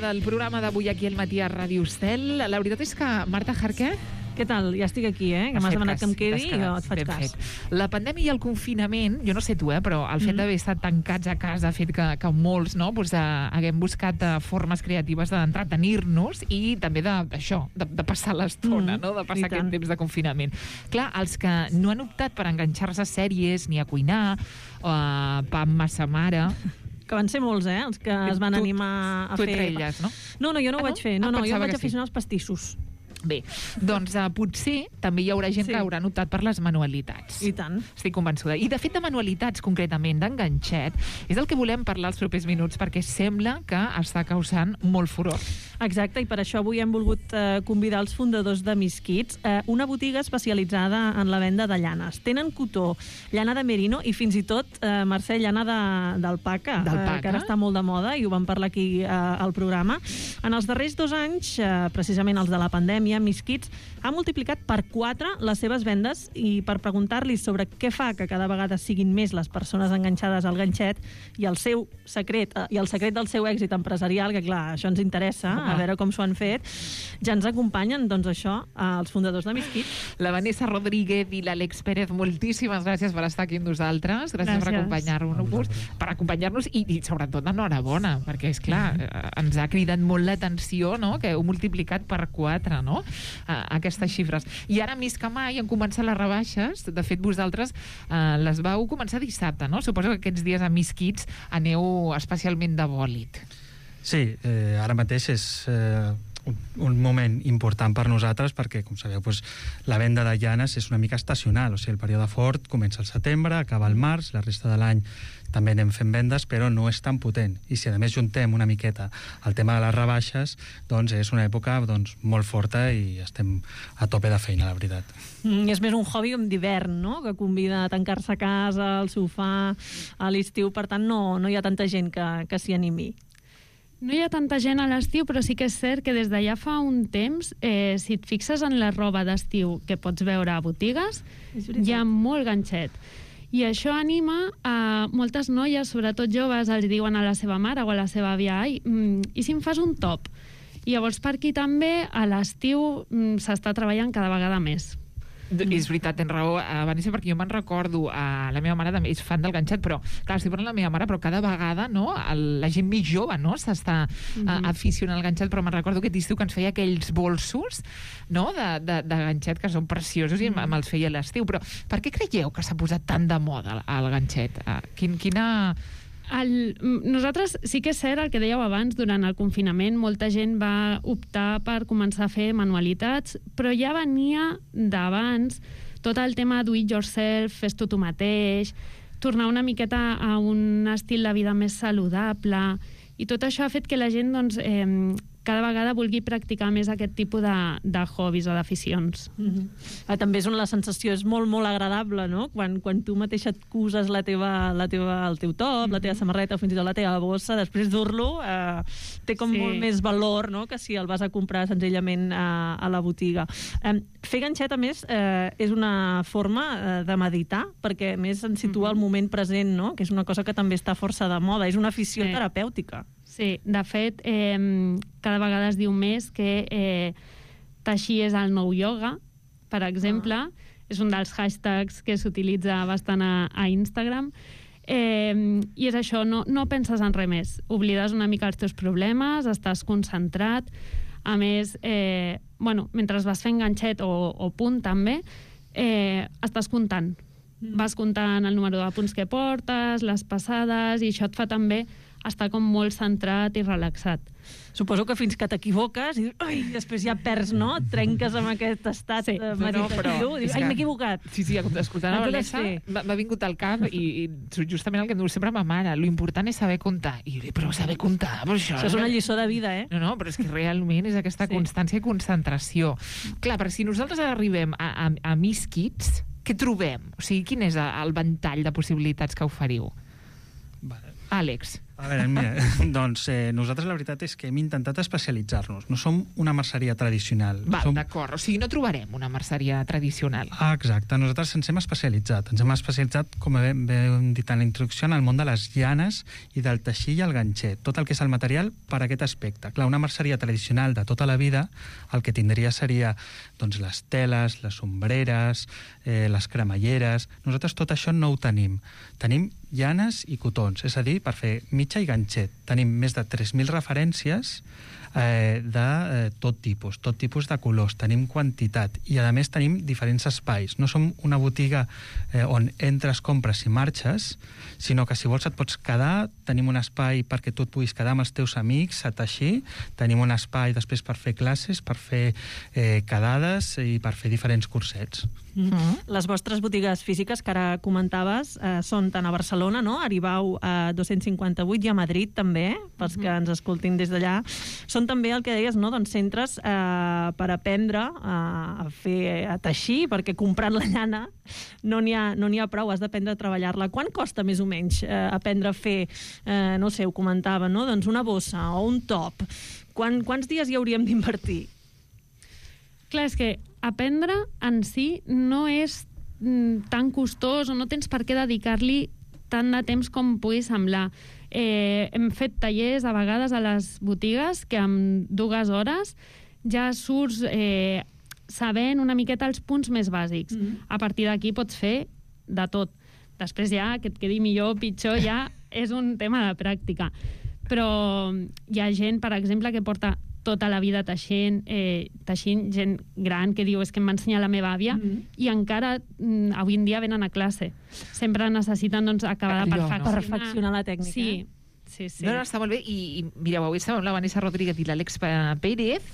del programa d'avui aquí al matí a Ràdio Estel. La veritat és que, Marta Jarqué... Què tal? Ja estic aquí, que m'has demanat que em quedi i jo et faig cas. La pandèmia i el confinament, jo no sé tu, però el fet d'haver estat tancats a casa ha fet que molts haguem buscat formes creatives d'entretenir-nos i també de passar l'estona, de passar aquest temps de confinament. Clar, els que no han optat per enganxar-se a sèries ni a cuinar, pa amb massa mare... Que van ser molts, els que es van animar a fer... Tu entre elles, no? No, jo no ho vaig fer. No, jo vaig aficionar als pastissos. Bé, doncs potser també hi haurà gent que hauran optat per les manualitats. I tant. Estic convençuda. I de fet de manualitats, concretament d'enganxet, és el que volem parlar els propers minuts perquè sembla que està causant molt furor. Exacte, i per això avui hem volgut convidar els fundadors de Miss Kids, una botiga especialitzada en la venda de llanes. Tenen cotó, llana de merino i fins i tot, Mercè, llana d'alpaca, que ara està molt de moda i ho vam parlar aquí al programa. En els darrers 2 anys, precisament els de la pandèmia, Miss Kids ha multiplicat per 4 les seves vendes i per preguntar-li sobre què fa que cada vegada siguin més les persones enganxades al ganxet i el seu secret, i el secret del seu èxit empresarial, que clar, això ens interessa, a veure com s'ho han fet, ja ens acompanyen, doncs això, els fundadors de Miss Kids. La Vanessa Rodríguez i l'Àlex Pérez, moltíssimes gràcies per estar aquí amb nosaltres, gràcies per acompanyar-nos i sobretot enhorabona, perquè és clar, ens ha cridat molt l'atenció, no?, que heu multiplicat per 4, no?, aquestes xifres. I ara més que mai han començat les rebaixes. De fet, vosaltres les vau començar dissabte, no? Suposo que aquests dies a Miss Kids aneu especialment de bòlit. Sí, ara mateix és un moment important per nosaltres perquè, com sabeu, la venda de llanes és una mica estacional, o sigui, el període fort comença al setembre, acaba al març, la resta de l'any també anem fent vendes, però no és tan potent. I si a més juntem una miqueta el tema de les rebaixes, doncs és una època molt forta i estem a tope de feina, la veritat. És més un hobby d'hivern, no?, que convida a tancar-se a casa, al sofà, a l'estiu, per tant no hi ha tanta gent que s'hi animi. No hi ha tanta gent a l'estiu, però sí que és cert que des d'allà fa un temps, si et fixes en la roba d'estiu que pots veure a botigues, hi ha molt ganxet. I això anima a moltes noies, sobretot joves, els diuen a la seva mare o a la seva àvia, ai, i si em fas un top? I llavors per aquí també a l'estiu s'està treballant cada vegada més. És veritat, tens raó, Vanessa, perquè jo me'n recordo, la meva mare també és fan del ganxet, però clar, estic parlant de la meva mare, però cada vegada, no, la gent més jove, no, s'està aficionant al ganxet, però me'n recordo aquest estiu que ens feia aquells bolsos, no, de ganxet que són preciosos i me'ls feia a l'estiu. Però per què creieu que s'ha posat tant de moda el ganxet? Quina... Nosaltres sí que és cert el que dèieu abans, durant el confinament molta gent va optar per començar a fer manualitats, però ja venia d'abans tot el tema do it yourself, fes-t'ho tu mateix, tornar una miqueta a un estil de vida més saludable, i tot això ha fet que la gent cada vegada vulgui practicar més aquest tipus de hobbies o d'aficions. També és on la sensació és molt, molt agradable, no? Quan tu mateixa et coses el teu top, la teva samarreta o fins i tot la teva bossa, després dur-lo té com molt més valor, no?, que si el vas a comprar senzillament a la botiga. Fer ganxet, a més, és una forma de meditar, perquè a més ens situa el moment present, no?, que és una cosa que també està força de moda, és una afició terapèutica. Sí, de fet, cada vegada es diu més que teixir és el nou ioga, per exemple. És un dels hashtags que s'utilitza bastant a Instagram. I és això, no penses en res més. Oblides una mica els teus problemes, estàs concentrat. A més, mentre vas fent ganxet o punt també, estàs comptant. Vas comptant el número de punts que portes, les passades, i això et fa també estar com molt centrat i relaxat. Suposo que fins que t'equivoques i després ja perds, no? Et trenques amb aquest estat meditatiu. Dius, m'he equivocat. Sí, escoltant la Vanessa m'ha vingut al cap i justament el que em diu sempre ma mare, l'important és saber comptar. I jo dic, però saber comptar, però això és una lliçó de vida, No, però és que realment és aquesta constància i concentració. Clar, perquè si nosaltres arribem a Miss Kids, què trobem? O sigui, quin és el ventall de possibilitats que oferiu? Àlex. A veure, mira, doncs nosaltres la veritat és que hem intentat especialitzar-nos. No som una merceria tradicional. Val, d'acord. O sigui, no trobarem una merceria tradicional. Ah, exacte. Nosaltres ens hem especialitzat. Ens hem especialitzat, com hem dit en la introducció, en el món de les llanes i del teixir i el ganxet. Tot el que és el material per a aquest aspecte. Clar, una merceria tradicional de tota la vida el que tindria seria doncs, les teles, les sombreres, les cremalleres. Nosaltres tot això no ho tenim. Tenim llanes i cotons, és a dir, per fer mitja i ganxet. Tenim més de 3.000 referències de tot tipus de colors, tenim quantitat i a més tenim diferents espais. No som una botiga on entres, compres i marxes, sinó que si vols et pots quedar, tenim un espai perquè tu et puguis quedar amb els teus amics a teixir, tenim un espai després per fer classes, per fer quedades i per fer diferents cursets. Les vostres botigues físiques que ara comentaves són tant a Barcelona, no? Aribau a 258 i a Madrid també, pels que ens escoltin des d'allà. Són també el que deies, no? Doncs centres per aprendre a teixir, perquè comprant la llana no n'hi ha prou, has d'aprendre a treballar-la. Quan costa més o menys aprendre a fer, no sé, ho comentava, no? Doncs una bossa o un top. Quants dies hi hauríem d'invertir? Clar, és que aprendre en si no és tan costós o no tens per què dedicar-li tant de temps com pugui semblar. Hem fet tallers a vegades a les botigues que en 2 hores ja surts sabent una miqueta els punts més bàsics. A partir d'aquí pots fer de tot. Després ja, que et quedi millor o pitjor, ja és un tema de pràctica. Però hi ha gent, per exemple, que porta tota la vida teixint, gent gran que diu és que em va ensenyar la meva àvia i encara avui en dia venen a classe. Sempre necessiten acabar de perfeccionar la tècnica. Sí. No, està molt bé. I mireu, avui estàvem amb la Vanessa Rodríguez i l'Àlex Pérez,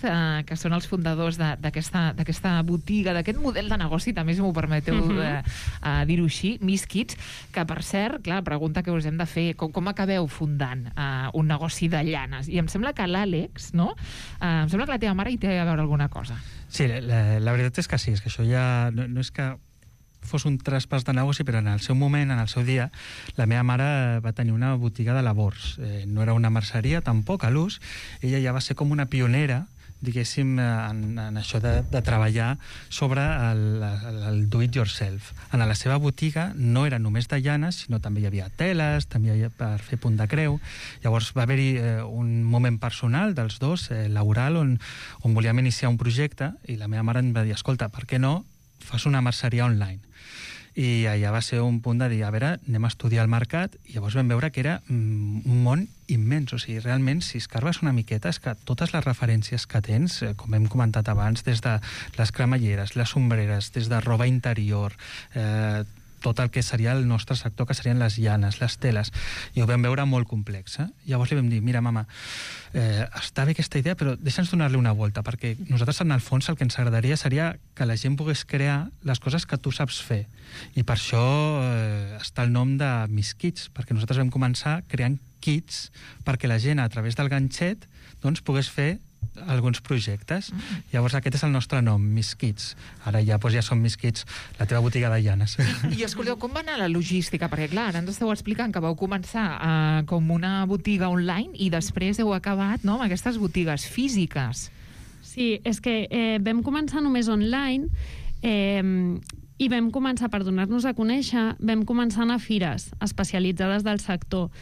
que són els fundadors d'aquesta botiga, d'aquest model de negoci, també, si m'ho permeteu dir-ho així, Miss Kids, que, per cert, clar, pregunta que us hem de fer, com acabeu fundant un negoci de llanes? I em sembla que l'Àlex, no? Em sembla que la teva mare hi té a veure alguna cosa. Sí, la veritat és que sí, és que això ja no és que fos un traspàs de negoci, però en el seu moment, en el seu dia, la meva mare va tenir una botiga de labors. No era una merceria, tampoc, a l'ús. Ella ja va ser com una pionera, diguéssim, en això de treballar sobre el do-it-yourself. En la seva botiga no era només de llanes, sinó també hi havia teles, també hi havia per fer punt de creu. Llavors va haver-hi un moment personal dels dos, laboral, on volíem iniciar un projecte, i la meva mare em va dir, escolta, per què no fas una merceria online? I allà va ser un punt de dir, a veure, anem a estudiar el mercat, i llavors vam veure que era un món immens. O sigui, realment, si escarbes una miqueta, és que totes les referències que tens, com hem comentat abans, des de les cremalleres, les sombreres, des de roba interior, tot el que seria el nostre sector, que serien les llanes, les teles, i ho vam veure molt complex. Llavors li vam dir, mira, mama, està bé aquesta idea, però deixa'ns donar-li una volta, perquè nosaltres, en el fons, el que ens agradaria seria que la gent pogués crear les coses que tu saps fer. I per això està el nom de Miss Kids, perquè nosaltres vam començar creant kits perquè la gent, a través del ganxet, doncs, pogués fer alguns projectes. Llavors aquest és el nostre nom, Miss Kids. Ara ja som Miss Kids, la teva botiga de llanes. I escolteu, com va anar la logística? Perquè clar, ara ens esteu explicant que vau començar com una botiga online i després heu acabat amb aquestes botigues físiques. Sí, és que vam començar només online i vam començar, per donar-nos a conèixer, vam començar a anar a fires especialitzades del sector.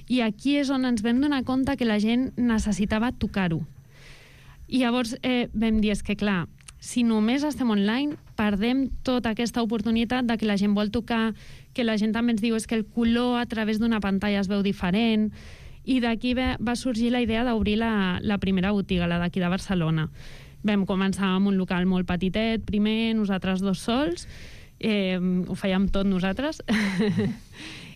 I aquí és on ens vam donar compte que la gent necessitava tocar-ho. I llavors vam dir, és que clar, si només estem online, perdem tota aquesta oportunitat de que la gent vol tocar, que la gent també ens diu és que el color a través d'una pantalla es veu diferent, i d'aquí va sorgir la idea d'obrir la primera botiga, la d'aquí de Barcelona. Vam començar amb un local molt petitet, primer, nosaltres dos sols, ho fèiem tot nosaltres,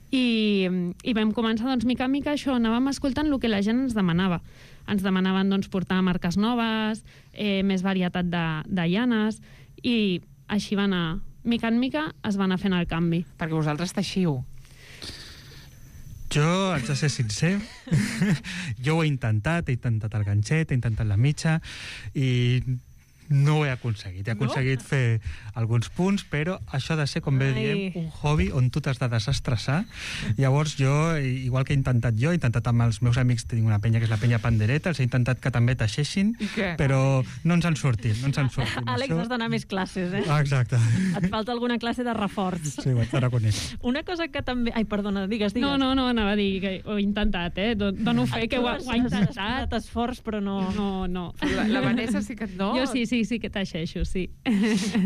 i vam començar, doncs, mica en mica això, anàvem escoltant el que la gent ens demanava. Ens demanaven, doncs, portar marques noves, més varietat de llanes, i així va anar. Mica en mica es va anar fent el canvi. Perquè vosaltres teixiu. Jo, haig de ser sincer, jo ho he intentat el ganxet, he intentat la mitja, i no ho he aconseguit. He aconseguit fer alguns punts, però això ha de ser, com bé diem, un hobby on tu t'has de desestressar. Llavors jo, igual que he intentat amb els meus amics, tinc una penya que és la penya Pandereta, els he intentat que també teixeixin, però no ens han sortit. Àlex, has d'anar a més classes, eh? Exacte. Et falta alguna classe de reforç. Sí, ho haig de reconèixer. Una cosa que també... Ai, perdona, digues. No, anava a dir que ho he intentat, dono fe que ho ha intentat. Has posat esforç, però no... No. La Vanessa sí que no? Jo sí que teixeixo, sí.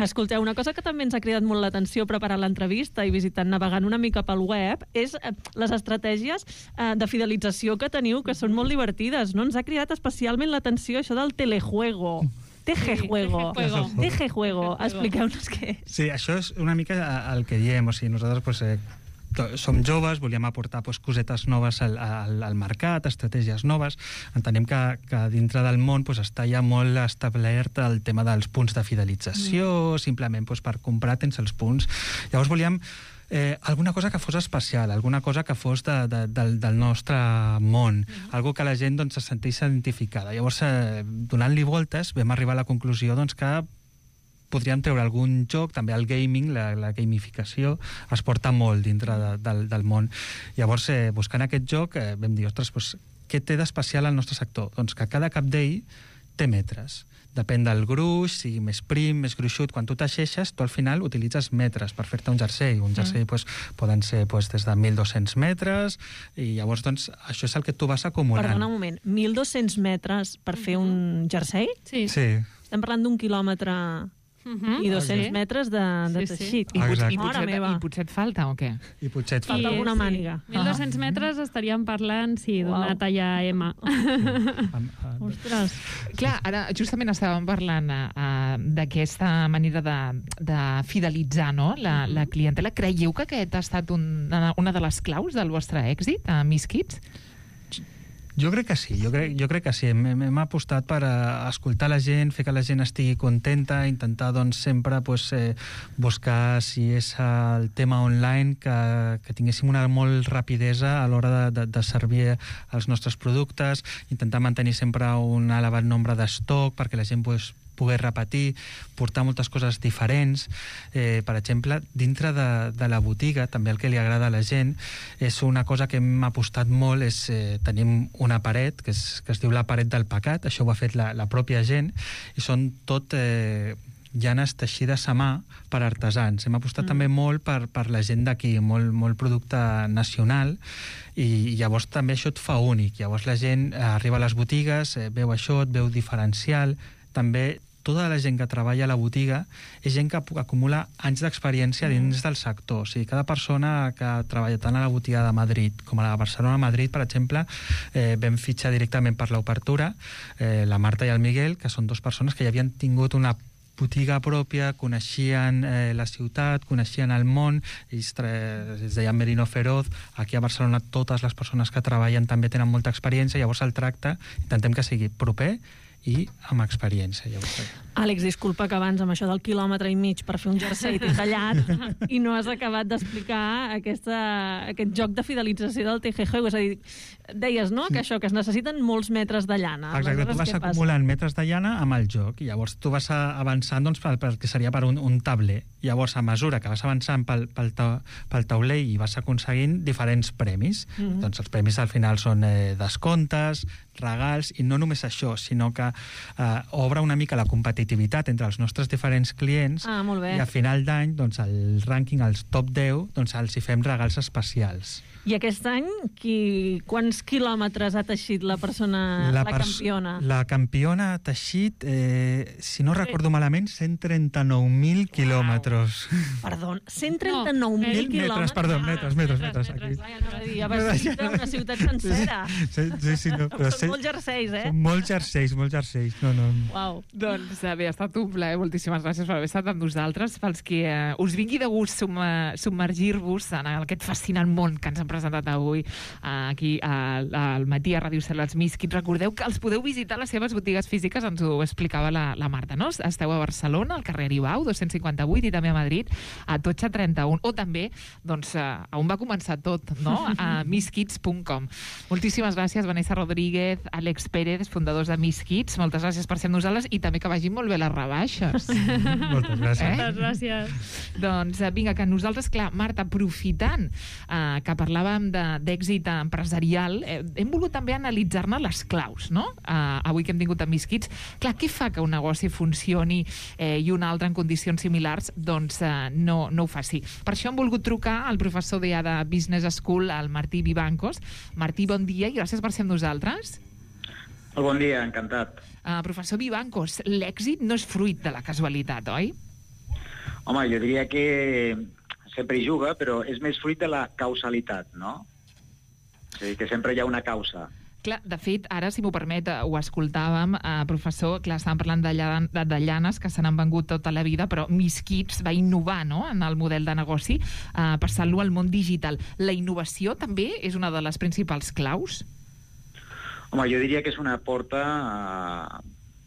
Escolteu, una cosa que també ens ha cridat molt l'atenció preparant l'entrevista i navegant una mica pel web és les estratègies de fidelització que teniu, que són molt divertides, no? Ens ha cridat especialment l'atenció això del telejuego. Tejejuego. Expliqueu-nos què és. Sí, això és una mica el que diem. O sigui, nosaltres som joves, volíem aportar cosetes noves al mercat, estratègies noves. Entenem que dintre del món està ja molt establert el tema dels punts de fidelització, simplement per comprar tens els punts. Llavors volíem alguna cosa que fos especial, alguna cosa que fos del nostre món, algo que la gent se sentís identificada. Llavors, donant-li voltes, vam arribar a la conclusió que podríem treure algun joc, també el gaming, la gamificació, es porta molt dintre del món. Llavors, buscant aquest joc, vam dir, ostres, què té d'especial al nostre sector? Doncs que cada capdell té metres. Depèn del gruix, sigui més prim, més gruixut. Quan tu teixeixes, tu al final utilitzes metres per fer-te un jersei. Un jersei poden ser des de 1.200 metres, i llavors això és el que tu vas acumulant. Perdona un moment, 1.200 metres per fer un jersei? Sí. Estem parlant d'1 quilòmetre i 200 metres de teixit. I potser et falta, o què? I potser et falta alguna màniga. 1.200 metres estaríem parlant, d'una talla M. Ostres. Clar, ara justament estàvem parlant d'aquesta manera de fidelitzar la clientela. Creieu que aquest ha estat una de les claus del vostre èxit a Miss Kids? Jo crec que sí, jo crec que sí. Hem apostat per escoltar la gent, fer que la gent estigui contenta, intentar sempre buscar si és el tema online, que tinguéssim una molt rapidesa a l'hora de servir els nostres productes, intentar mantenir sempre un elevat nombre d'estoc perquè la gent poder repetir, portar moltes coses diferents. Per exemple, dintre de la botiga, també el que li agrada a la gent és una cosa que hem apostat molt, tenim una paret que es diu la paret del pecat, això ho ha fet la pròpia gent, i són tot llanes teixides a mà per artesans. Hem apostat també molt per la gent d'aquí, molt producte nacional, i llavors també això et fa únic. Llavors la gent arriba a les botigues, veu això, et veu diferencial. També tota la gent que treballa a la botiga és gent que acumula anys d'experiència dins del sector. O sigui, cada persona que treballa tant a la botiga de Madrid com a la Barcelona-Madrid, per exemple, vam fitxar directament per l'obertura la Marta i el Miguel, que són dues persones que ja havien tingut una botiga pròpia, coneixien la ciutat, coneixien el món, ells es deien Merino Feroz. Aquí a Barcelona totes les persones que treballen també tenen molta experiència, llavors el tracte intentem que sigui proper i amb experiència. Àlex, disculpa que abans amb això del 1,5 quilòmetres per fer un jersei t'he tallat i no has acabat d'explicar aquest joc de fidelització del TGG. És a dir, deies, no?, que això, que es necessiten molts metres de llana. Exacte, tu vas acumulant metres de llana amb el joc, i llavors tu vas avançant pel que seria per un tabler. Llavors, a mesura que vas avançant pel tauler i vas aconseguint diferents premis. Doncs els premis al final són descomptes, regals, i no només això, sinó que obre una mica la competitivitat entre els nostres diferents clients, i a final d'any, el rànquing, els top 10, els hi fem regals especials. I aquest any, quants quilòmetres ha teixit la persona, la campiona? La campiona ha teixit, si no recordo malament, 139.000 quilòmetres. Perdó, 139.000 quilòmetres? Perdó, metres. Ja vas dir una ciutat sencera. Sí, no. Són molts jerseis, eh? Són molts jerseis. No. Uau. Doncs bé, ha estat un plaer. Moltíssimes gràcies per haver estat amb nosaltres. Pels que us vingui de gust submergir-vos en aquest fascinant món que ens han presentat avui aquí al matí a Ràdio Cel, els Miss Kids. Recordeu que els podeu visitar a les seves botigues físiques, ens ho explicava la Marta, no? Esteu a Barcelona, al carrer Aribau, 258, i també a Madrid, a Totxa 31. O també, a on va començar tot, no? A misskids.com. Moltíssimes gràcies, Vanessa Rodríguez, Àlex Pérez, fundadors de Miss Kids. moltes gràcies per ser amb nosaltres i també que vagin molt bé les rebaixes. Moltes gràcies. Moltes gràcies. Doncs vinga, que nosaltres, clar, Marta, aprofitant que parlàvem d'èxit empresarial, hem volgut també analitzar-ne les claus, no? Avui que hem tingut a Miss Kids. Clar, què fa que un negoci funcioni i un altre en condicions similars doncs no ho faci? Per això hem volgut trucar al professor d'EA de Business School, el Martí Vivancos. Martí, bon dia i gràcies per ser amb nosaltres. Bon dia, encantat. Professor Vivancos, l'èxit no és fruit de la casualitat, oi? Home, jo diria que sempre hi juga, però és més fruit de la causalitat, no? O sigui, que sempre hi ha una causa. Clar, de fet, ara, si m'ho permet, ho escoltàvem, professor, clar, estàvem parlant de llanes que se n'han vengut tota la vida, però Miss Kids va innovar, no?, en el model de negoci, passant-lo al món digital. La innovació també és una de les principals claus? Home, jo diria que és una porta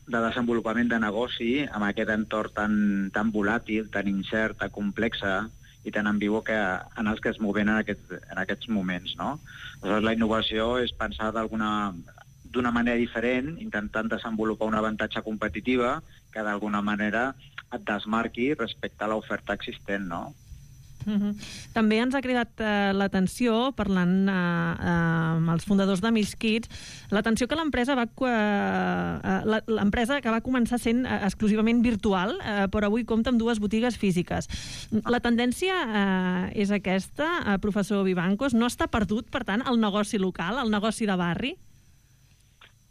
de desenvolupament de negoci amb aquest entorn tan volàtil, tan incert, tan complexa i tan ambigu en els que es moven en aquests moments, no? Aleshores, la innovació és pensar d'una manera diferent, intentant desenvolupar una avantatge competitiva que d'alguna manera et desmarqui respecte a l'oferta existent, no? També ens ha cridat l'atenció, parlant amb els fundadors de Miss Kids, l'atenció que l'empresa que va començar sent exclusivament virtual, però avui compta amb 2 botigues físiques. La tendència és aquesta, professor Vivancos? No està perdut, per tant, el negoci local, el negoci de barri?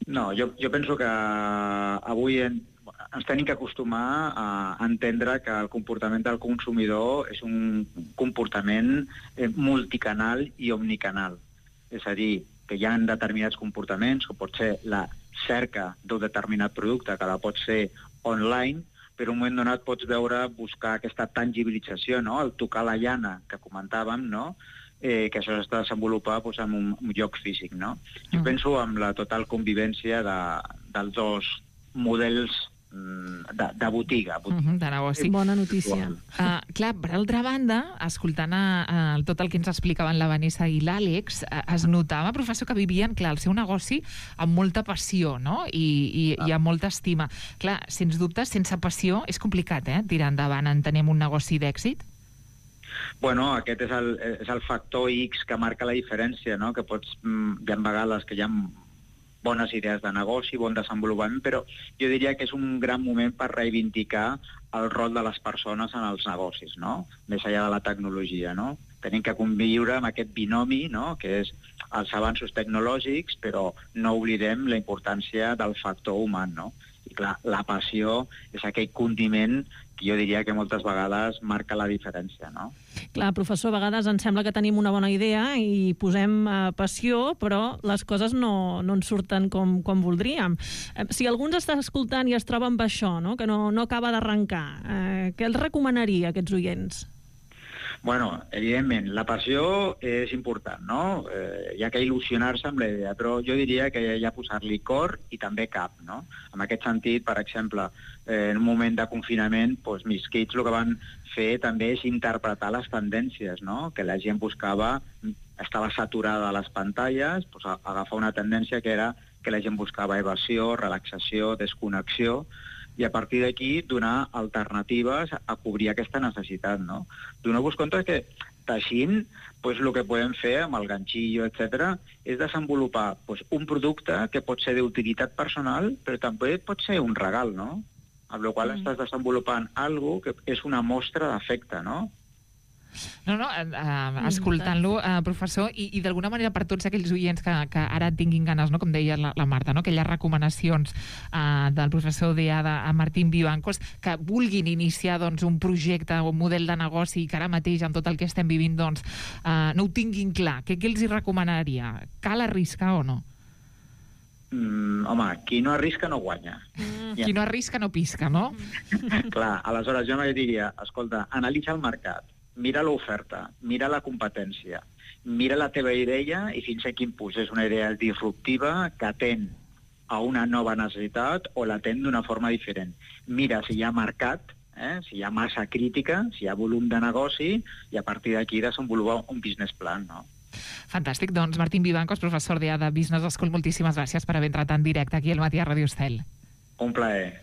No, jo penso que avui ens tenim que acostumar a entendre que el comportament del consumidor és un comportament multicanal i omnicanal. És a dir, que hi ha determinats comportaments, com pot ser la cerca d'un determinat producte, que la pot ser online, però en un moment donat pots buscar aquesta tangibilització, no?, el tocar la llana que comentàvem, no?, que això s'està desenvolupant en un lloc físic, no? Jo penso en la total convivència dels 2 models de botiga. De negoci. Bona notícia. Clar, per altra banda, escoltant tot el que ens explicaven la Vanessa i l'Àlex, es notava, professor, que vivien, clar, el seu negoci amb molta passió, no?, i amb molta estima. Clar, sens dubte, sense passió és complicat, tirar endavant, entenem, un negoci d'èxit? Bueno, aquest és el factor X que marca la diferència, no?, que hi ha vegades que hi ha bones idees de negoci, bon desenvolupament, però jo diria que és un gran moment per reivindicar el rol de les persones en els negocis, no?, més enllà de la tecnologia, no? Tenim que conviure amb aquest binomi, no?, que és els avanços tecnològics, però no oblidem la importància del factor humà, no? I clar, la passió és aquell condiment que jo diria que moltes vegades marca la diferència, no? Clar, professor, a vegades ens sembla que tenim una bona idea i posem passió, però les coses no ens surten com voldríem. Si algú ens està escoltant i es troba amb això, no?, que no acaba d'arrencar, què els recomanaria a aquests oients? Bueno, evidentment, la passió és important, no? Hi ha que il·lusionar-se amb la idea, però jo diria que hi ha posar-li cor i també cap, no? En aquest sentit, per exemple, en un moment de confinament, doncs, Miss Kids el que van fer també és interpretar les tendències, no?, que la gent buscava, estava saturada a les pantalles, doncs, agafar una tendència que era que la gent buscava evasió, relaxació, desconnexió, i a partir d'aquí donar alternatives a cobrir aquesta necessitat, no? Doneu-vos compte que teixint, doncs, el que podem fer amb el ganxillo, etc., és desenvolupar un producte que pot ser d'utilitat personal, però també pot ser un regal, no? Amb la qual estàs desenvolupant alguna cosa que és una mostra d'afecte, no? No, escoltant-lo, professor, i d'alguna manera per tots aquells oients que ara tinguin ganes, no?, com deia la Marta, no?, aquelles recomanacions del professor d'EA a Martín Vivancos, que vulguin iniciar doncs, un projecte o un model de negoci i que ara mateix, amb tot el que estem vivint, doncs, no ho tinguin clar. Què els hi recomanaria? Cal arriscar o no? Home, qui no arrisca no guanya. Qui no arrisca no pisca, no? Clar, aleshores jo me diria, escolta, analitza el mercat, mira l'oferta, mira la competència, mira la teva idea i fins a quin punt és una idea disruptiva que atén a una nova necessitat o l'atén d'una forma diferent. Mira si hi ha mercat, si hi ha massa crítica, si hi ha volum de negoci, i a partir d'aquí desenvolupar un business plan, no? Fantàstic. Doncs Martín Vivancos, professor d'EA de Business School, moltíssimes gràcies per haver entrat en directe aquí al Matí a Radio Estel. Un plaer.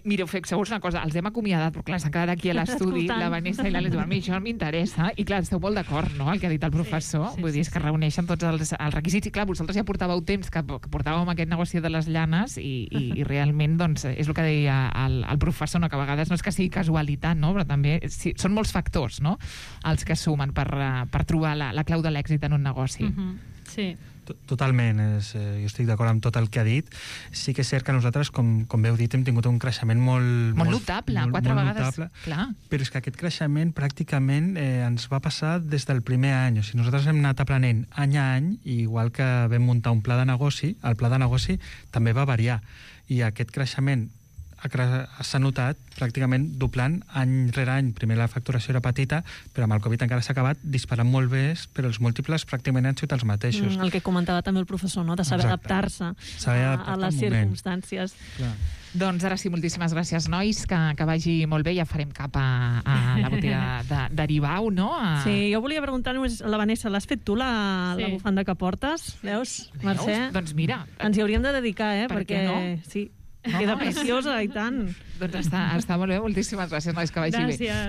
Mireu, fixeu-vos una cosa, els hem acomiadat, però clar, s'han quedat aquí a l'estudi, la Vanessa i l'Àlex, a mi això m'interessa, i clar, esteu molt d'acord, no?, el que ha dit el professor, vull dir, és que reuneixen tots els requisits, i clar, vosaltres ja portàveu temps que portàvem aquest negoci de les llanes, i realment, doncs, és el que deia el professor, no?, que a vegades no és que sigui casualitat, no?, però també són molts factors, no?, els que sumen per trobar la clau de l'èxit en un negoci. Sí. Totalment, jo estic d'acord amb tot el que ha dit. Sí que és cert que nosaltres, com bé heu dit, hem tingut un creixement molt notable, 4 vegades, notable, clar. Però és que aquest creixement pràcticament ens va passar des del primer any. O sigui, nosaltres hem anat aprenent any a any, i igual que vam muntar un pla de negoci, el pla de negoci també va variar. I aquest creixement s'ha notat pràcticament doblant any rere any. Primer la facturació era petita, però amb el Covid encara s'ha acabat disparant molt més, però els múltiples pràcticament han sigut els mateixos. El que comentava també el professor, no?, de saber adaptar-se a les circumstàncies. Clar. Doncs ara sí, moltíssimes gràcies, nois, que vagi molt bé, ja farem cap a la botiga d'Aribau, no? Sí, jo volia preguntar només a la Vanessa, l'has fet tu, la bufanda que portes? Veus, Mercè? Doncs mira. Ens hi hauríem de dedicar, perquè no? Sí. Queda preciosa, i tant. Doncs està molt bé, moltíssimes gràcies, nois, que vagi bé. Gràcies.